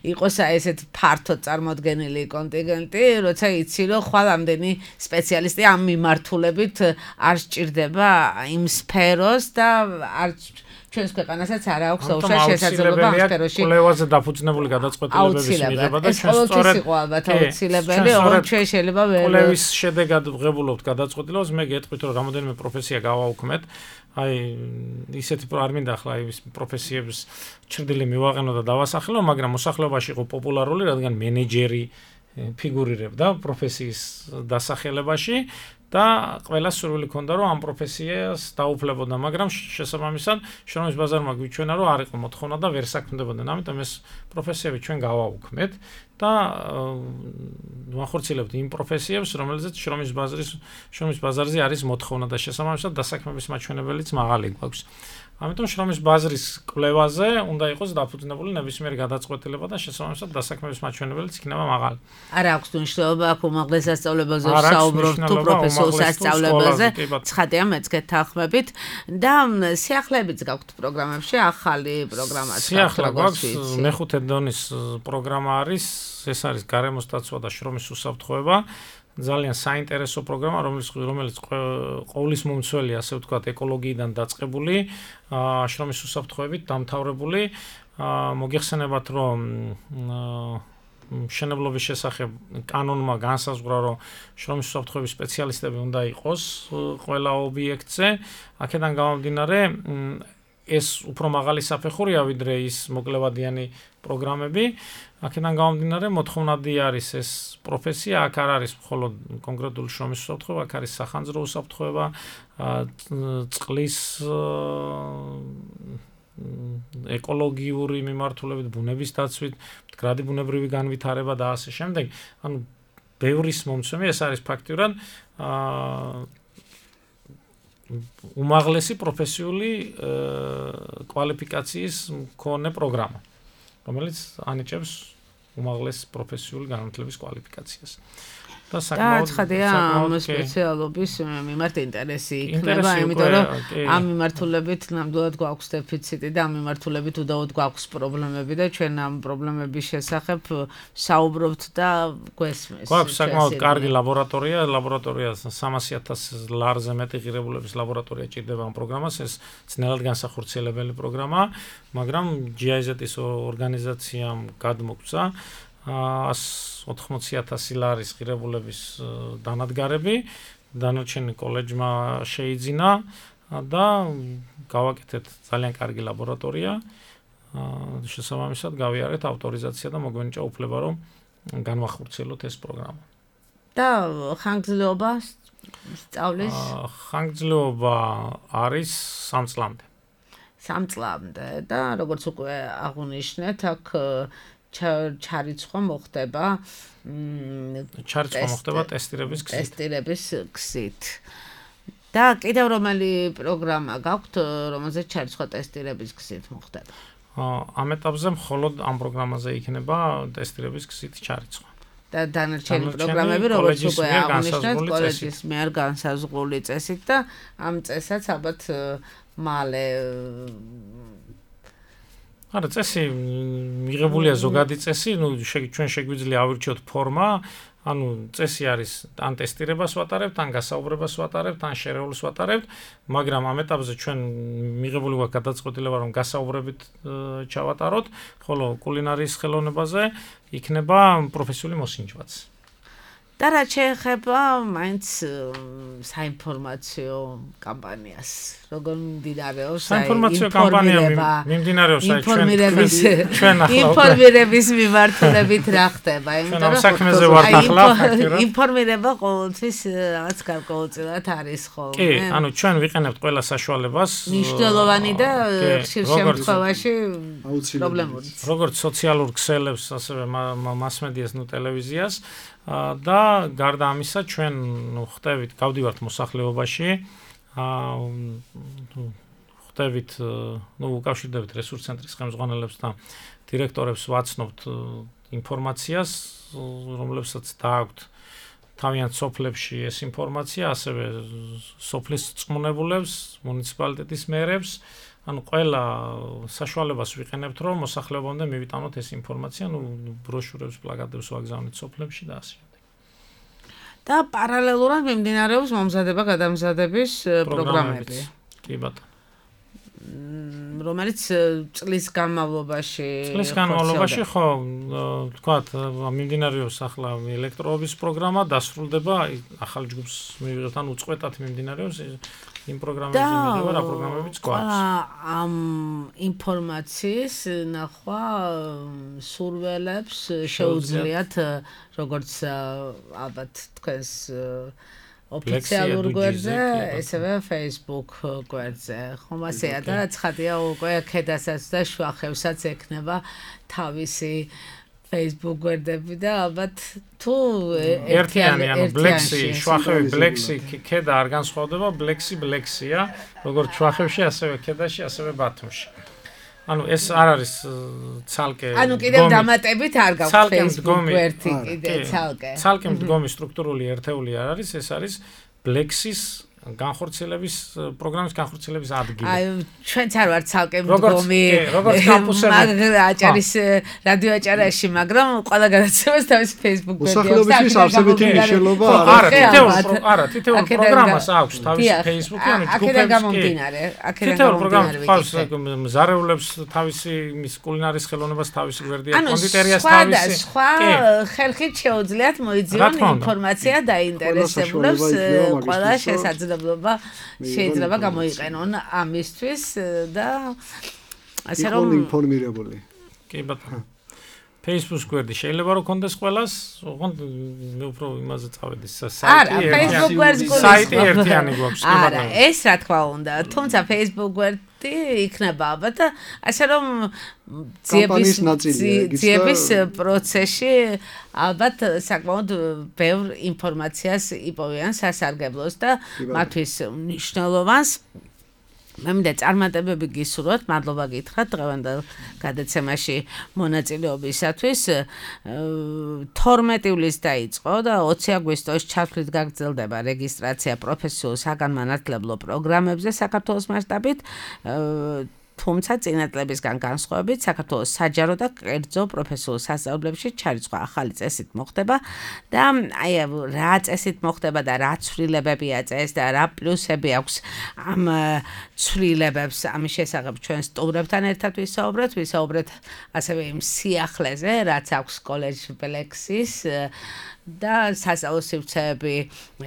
იყოს აი ესეთ ფართო წარმოდგენილი კონტინგენტი, როცა იცი რომ ხვალ ამდენი სპეციალისტი ამ მიმართულებით არ სჭირდება იმ სფეროს და არ ჩვენს ქვეყანასაც არ აქვს უშუალო შესაძლებლობა ამ სფეროში კვლევაზე დაფუძნებული გადაწყვეტილებების მიღება და ჩვენ სწორედ იყო ალბათ აუცილებელი, ოღონდ ჩვენ შეიძლება ვერ კვლევის შედეგად ვღებულობთ გადაწყვეტილებას, მე გეტყვით რომ რამოდენიმე პროფესია გავაუქმეთ, აი ისეთი არ მინდა ახლა ის პროფესიების ჩრდილი მივაყენო და დავასახელო, მაგრამ მოსახლეობაში იყო პოპულარული, რადგან მენეჯერი ფიგურირებდა პროფესიის დასახელებაში და ყველა სურვილი ქონდა რომ ამ პროფესიას დაუფლებოდა, მაგრამ შესაბამისად შრომის ბაზარმა გვიჩვენა რომ არ იყო მოთხოვნა და ვერ საქმდებოდნენ, ამიტომ ეს პროფესიები ჩვენ გავაუქმეთ და ვახორციელებთ იმ პროფესიებს, რომელზეც შრომის ბაზრის შრომის ბაზარზე არის მოთხოვნა და შესაბამისად დასაქმების მაჩვენებელიც მაღალი გვაქვს. ამიტომ შრომის ბაზრის კვლევაზე უნდა იყოს დაფუძნებული ნებისმიერი გადაწყვეტილება და შესაბამისად დასაქმების მაჩვენებელიც იქნება მაღალი. არ აქვს მნიშვნელობა აქ უმაღლეს სასწავლებელზე საუბრობთ თუ პროფესიულ სასწავლებელზე, ცხადია მეც გეთანხმებით და სიახლეებიც გაქვთ პროგრამებში, ახალი პროგრამაც გაქვთ. მეხუთე დონის პროგრამა არის, ეს არის გარემოს დაცვა და შრომის უსაფრთხოება. ძალიან საინტერესო პროგრამა, რომელიც რომელიც ყოვლის მომცველი, ასე ვთქვათ, ეკოლოგიიდან დაწყებული, შრომის უსაფრთხოებით დამთავრებული. მოგეხსენებათ, რომ მშენებლობის შესახებ კანონმა განსაზღვრა, რომ შრომის უსაფრთხოების სპეციალისტები უნდა იყოს ყველა ობიექტზე. აქედან გამომდინარე, ეს უფრო მაღალი საფეხურია ვიდრე ის მოკლევადიანი პროგრამები. აქედან გამომდინარე მოთხოვნადი არის ეს პროფესია, აქ არ არის მხოლოდ კონკრეტული შრომის უსაფრთხოება, აქ არის სახანძრო უსაფრთხოება, წყლის ეკოლოგიური მიმართულებით, ბუნების დაცვით, მდგრადი ბუნებრივი განვითარება და ასე შემდეგ. ანუ ბევრის მომცემი ეს არის ფაქტიურად უმაღლესი პროფესიული კვალიფიკაციის მქონე პროგრამა, რომელიც ანიჭებს უმაღლეს პროფესიული განათლების კვალიფიკაციას. და საკმაოდ ცხადია ამ სპეციალობის მიმართ ინტერესი იქნება, იმიტომ რომ ამ მიმართულებით ნამდვილად გვაქვს დეფიციტი და ამ მიმართულებით უდაოდ გვაქვს პრობლემები და ჩვენ ამ პრობლემების შესახებ საუბრობთ და გვესმის. გვაქვს საკმაოდ კარგი ლაბორატორია, ლაბორატორია სამასი ათასი ლარზე მეტი ღირებულების ლაბორატორია ჭირდება ამ პროგრამას, ეს ძნელად განსახორციელებელი პროგრამაა, მაგრამ ჯი აი ზეტ-ის ორგანიზაციამ გადმოგწა ას ოთხმოცი ათასი ლარის ღირებულების დანადგარები, დანარჩენი კოლეჯმა შეიძინა და გავაკეთეთ ძალიან კარგი ლაბორატორია. შესაბამისად გავიარეთ ავტორიზაცია და მოგვენიჭა უფლება, რომ განვახორციელოთ ეს პროგრამა. და ხანგრძლივობა სწავლის? ხანგრძლივობა არის სამ წლამდე. სამ წლამდე და როგორც უკვე აღნიშნეთ, აქ ჩარიცხვა მოხდება ჩარიცხვა მოხდება ტესტირების გზით. ტესტირების გზით. და კიდევ რომელი პროგრამა გაქვთ, რომელზეც ჩარიცხვა ტესტირების გზით მოხდება? ამ ეტაპზე მხოლოდ ამ პროგრამაზე იქნება ტესტირების გზით ჩარიცხვა. და დანარჩენი პროგრამები, როგორც უკვე აღნიშნეთ, კოლეჯის მიერ განსაზღვრული წესით და ამ წესაც ალბათ მალე არა, წესი მიღებულია ზოგადი წესი, ნუ ჩვენ შეგვიძლია ავირჩიოთ ფორმა, ანუ წესი არის ან ტესტირებას ვატარებთ, ან გასაუბრებას ვატარებთ, ან შერეულს ვატარებთ, მაგრამ ამ ეტაპზე ჩვენ მიღებული გვაქვს გადაწყვეტილება, რომ გასაუბრებით ჩავატაროთ, ხოლო კულინარიის ხელოვნებაზე იქნება პროფესიული მოსინჯვაც. და რა შეეხება მაინც საინფორმაციო კამპანიას, როგორ მიმდინარეობს საინფორმაციო კამპანია მიმდინარეობს აი ჩვენ ჩვენ ახლა ინფორმირების მიმართულებით რა ხდება, იმიტომ რომ საქმეზე ვართ ახლა ფაქტურად ინფორმირება ყოველთვის რაღაც გარკვეულწილად არის ხოლმე. კი, ანუ ჩვენ ვიყენებთ ყველა საშუალებას მნიშვნელოვანი და ხშირ შემთხვევაში პრობლემური. როგორც სოციალურ ქსელებს, ასევე მასმედიას, ნუ ტელევიზიას და გარდა ამისა ჩვენ ხვდებით, გავდივართ მოსახლეობაში, ხვდებით, ნუ უკავშირდებით რესურს ცენტრის ხელმძღვანელებს და დირექტორებს, ვაცნობთ ინფორმაციას, რომლებსაც დააქვთ თავიანთ სოფლებში ეს ინფორმაცია, ასევე სოფლის წყმუნებულებს, მუნიციპალიტეტის მერებს, ანუ ყველა საშუალებას ვიყენებთ, რომ მოსახლეობამდე მივიტანოთ ეს ინფორმაცია, ნუ ბროშურებს, პლაკატებს ვაგზავნით სოფლებში და ასე. და პარალელურად მიმდინარეობს მომზადება გადამზადების პროგრამები. კი ბატონო. რომელიც წლის განმავლობაში წლის განმავლობაში ხო, თქვათ, მიმდინარეობს ახლა ელექტროობის პროგრამა, დასრულდება, ახალ ჯგუფს მივიღებთ, ან უწყვეტად მიმდინარეობს იმ პროგრამებზე მიღება, რა პროგრამებიც გვაქვს. ამ ინფორმაციის ნახვა სურველებს შეუძლიათ, როგორც ალბათ თქვენს ოფიციალურ გვერდზე, ესევე Facebook გვერდზე. ხომ ასეა და ცხადია უკვე ქედასაც და შუახევსაც ექნება თავისი Facebook გვერდები და ალბათ თუ ერთიანი, ანუ Black-ი, შუახევი Black-ი ქედა არ განსხვავდება, Black-ი Black-ია, როგორც შუახევში, ასევე ქედაში, ასევე ბათუმში. ანუ ეს არ არის ცალკე ანუ კიდევ დამატებით არ გაქვს Facebook გვერდი კიდე ცალკე. ცალკე მდგომი სტრუქტურული ერთეული არ არის, ეს არის Black-ის განხორციელების პროგრამის განხორციელების ადგილი. აი ჩვენც არ ვართ ცალკე მდგომი როგორც კამპუსები აჭარის რადიო აჭარაში, მაგრამ ყველა გადაცემას თავისი Facebook გვერდი აქვს. მოსახლეობის არსებითი მნიშვნელობა არა, თითოეულ არა, თითოეულ პროგრამას აქვს თავისი Facebook-ი, ანუ აქედან გამომდინარე, აქედან გამომდინარე. ანუ მზარეულებს თავისი მის კულინარიის ხელოვნებას თავისი გვერდი აქვს, კონდიტერიას თავისი. სხვა ხერხით შეუძლიათ მოიძიონ ინფორმაცია დაინტერესებულებს ყველა შესაძლებელი შესაძლებლობა შეიძლება გამოიყენონ ამისთვის და ასე რომ რომ ინფორმირებული. კი ბატონო. Facebook გვერდი შეიძლება რომ კონდეს ყველას, ოღონდ მე უფრო იმაზე წავედი არა, Facebook გვერდს გულისხმობ. საიტი ერთიანი გვაქვს, კი არა, ბატონო. ეს რა თქმა უნდა, თუმცა Facebook გვერდი იქნება ალბათ ასე რომ კამპანიის ნაწილია, იგიც და- ძიების პროცესში ალბათ საკმაოდ ბევრ ინფორმაციას იპოვიან სასარგებლოს და კი, ბატონო. მათთვის მნიშვნელოვანს მე მინდა წარმატებები გისურვოთ, მადლობა გითხრათ დღევანდელ გადაცემაში მონაწილეობისათვის. თორმეტი ივლისს დაიწყო და ოცი აგვისტოს ჩათვლით გაგრძელდება რეგისტრაცია პროფესიულ საგანმანათლებლო პროგრამებზე საქართველოს მასშტაბით. თუმცა წინა წლებისგან განსხვავებით საქართველოს საჯარო და კერძო პროფესიულ სასწავლებლებში ჩარიცხვა ახალი წესით მოხდება და აი რა წესით მოხდება და რა ცვლილებებია წეს და რა პლუსები აქვს ამ ცვლილებებს ამის შესახებ ჩვენ სტუმრებთან ერთად ვისაუბრეთ ვისაუბრეთ ასევე იმ სიახლეზე რაც აქვს კოლეჯ ბლექსის და სასწავლო სივრცეები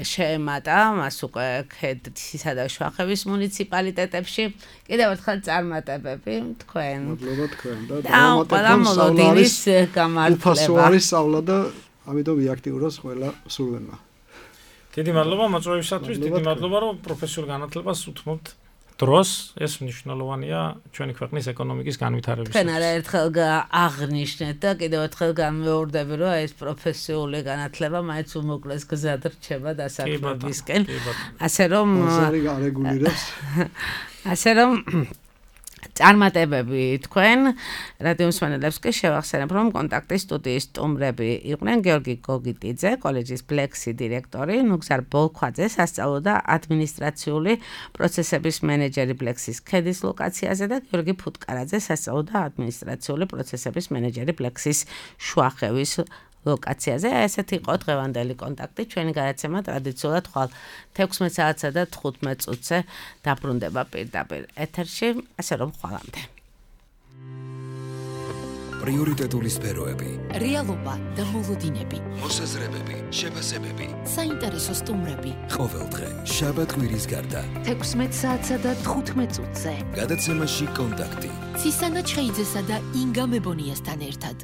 შეემატა მას უკვე ქედთისა და შუახევის მუნიციპალიტეტებში კიდევ ერთხელ წარმატებები თქვენ მადლობა თქვენ და დრამატების გამართლება უფასო არის სწავლა და ამიტომ ვიაქტიუროს ყველა სულვენმა დიდი მადლობა მოწვევისათვის დიდი მადლობა რომ პროფესიულ განათლებას უთმობთ დროს ეს მნიშვნელოვანია ჩვენი ქვეყნის ეკონომიკის განვითარებისთვის. თქვენ არაერთხელ აღნიშნეთ და კიდევ ერთხელ განმეორდები რომ ეს პროფესიული განათლება მაინც უმოკლეს გზად რჩება დასაქმებისკენ. ასე რომ ბაზარი გარეგულირებს. ასე რომ წარმატებები თქვენ რადიო მსმენელებს კი შევახსენებ რომ კონტაქტის სტუდიის სტუმრები იყვნენ გიორგი გოგიტიძე კოლეჯის ბლექსი დირექტორი ნუგზარ ბოლქვაძე სასწავლო და ადმინისტრაციული პროცესების მენეჯერი ბლექსის ქედის ლოკაციაზე და გიორგი ფუტკარაძე სასწავლო და ადმინისტრაციული პროცესების მენეჯერი ბლექსის შუახევის ლოკაციაზე. ესეთი იყო დღევანდელი კონტაქტი. ჩვენი გადაცემა ტრადიციულად ხვალ თექვსმეტ საათსა და თხუთმეტ წუთზე დაბრუნდება პირდაპირ ეთერში, ასე რომ ხვალამდე. პრიორიტეტული სფეროები, რეალობა და მოლოდინები, მოსაზრებები, შეფასებები, საინტერესო სტუმრები. ყოველდღე შაბათ კვირის გარდა. თექვსმეტ საათსა და თხუთმეტ წუთზე. გადაცემაში კონტაქტი. ცისანა ჩხეიძესა და ინგა მებონიასთან ერთად.